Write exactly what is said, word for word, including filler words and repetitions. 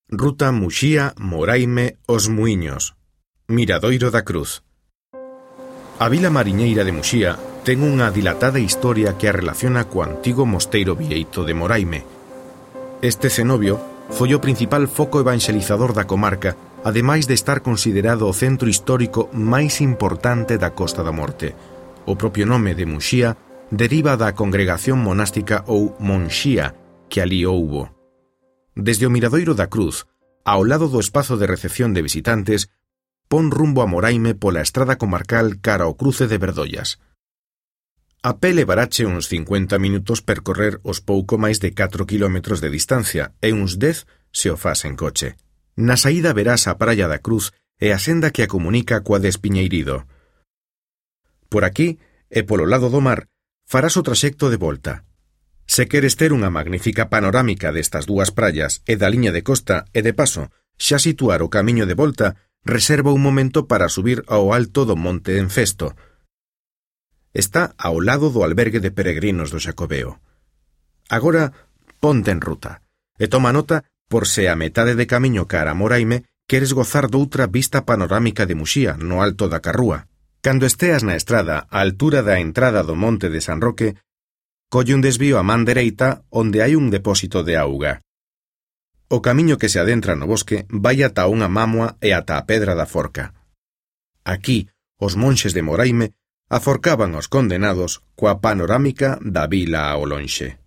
Ruta Muxía-Moraime Os Muíños, Miradoiro da Cruz. A vila mariñeira de Muxía ten unha dilatada historia que a relaciona co antigo mosteiro vieito de Moraime. Este cenobio foi o principal foco evangelizador da comarca, ademais de estar considerado o centro histórico máis importante da Costa da Morte. O propio nome de Muxía deriva da congregación monástica ou monxía que ali houbo. Desde o Miradoiro da Cruz, ao lado do espazo de recepción de visitantes, pon rumbo a Moraime pola estrada comarcal cara ao cruce de Verdollas. A pé levarache uns cincuenta minutos percorrer os pouco máis de catro quilómetros de distancia e uns dez se o fas en coche. Na saída verás a Praia da Cruz e a senda que a comunica coa de Espiñeirido. Por aquí, e polo lado do mar, farás o traxecto de volta. Se queres ter unha magnífica panorámica destas dúas praias e da liña de costa e de paso xa situar o camiño de volta, reserva un momento para subir ao alto do Monte Enfesto. Está ao lado do albergue de peregrinos do Xacobeo. Agora, ponte en ruta e toma nota por se a metade de camiño cara a Moraime queres gozar doutra vista panorámica de Muxía no alto da Carrúa. Cando esteas na estrada á altura da entrada do Monte de San Roque, colle un desvío a man dereita onde hai un depósito de auga. O camiño que se adentra no bosque vai ata unha mámoa e ata a Pedra da Forca. Aquí, os monxes de Moraime aforcaban os condenados coa panorámica da vila ao lonxe.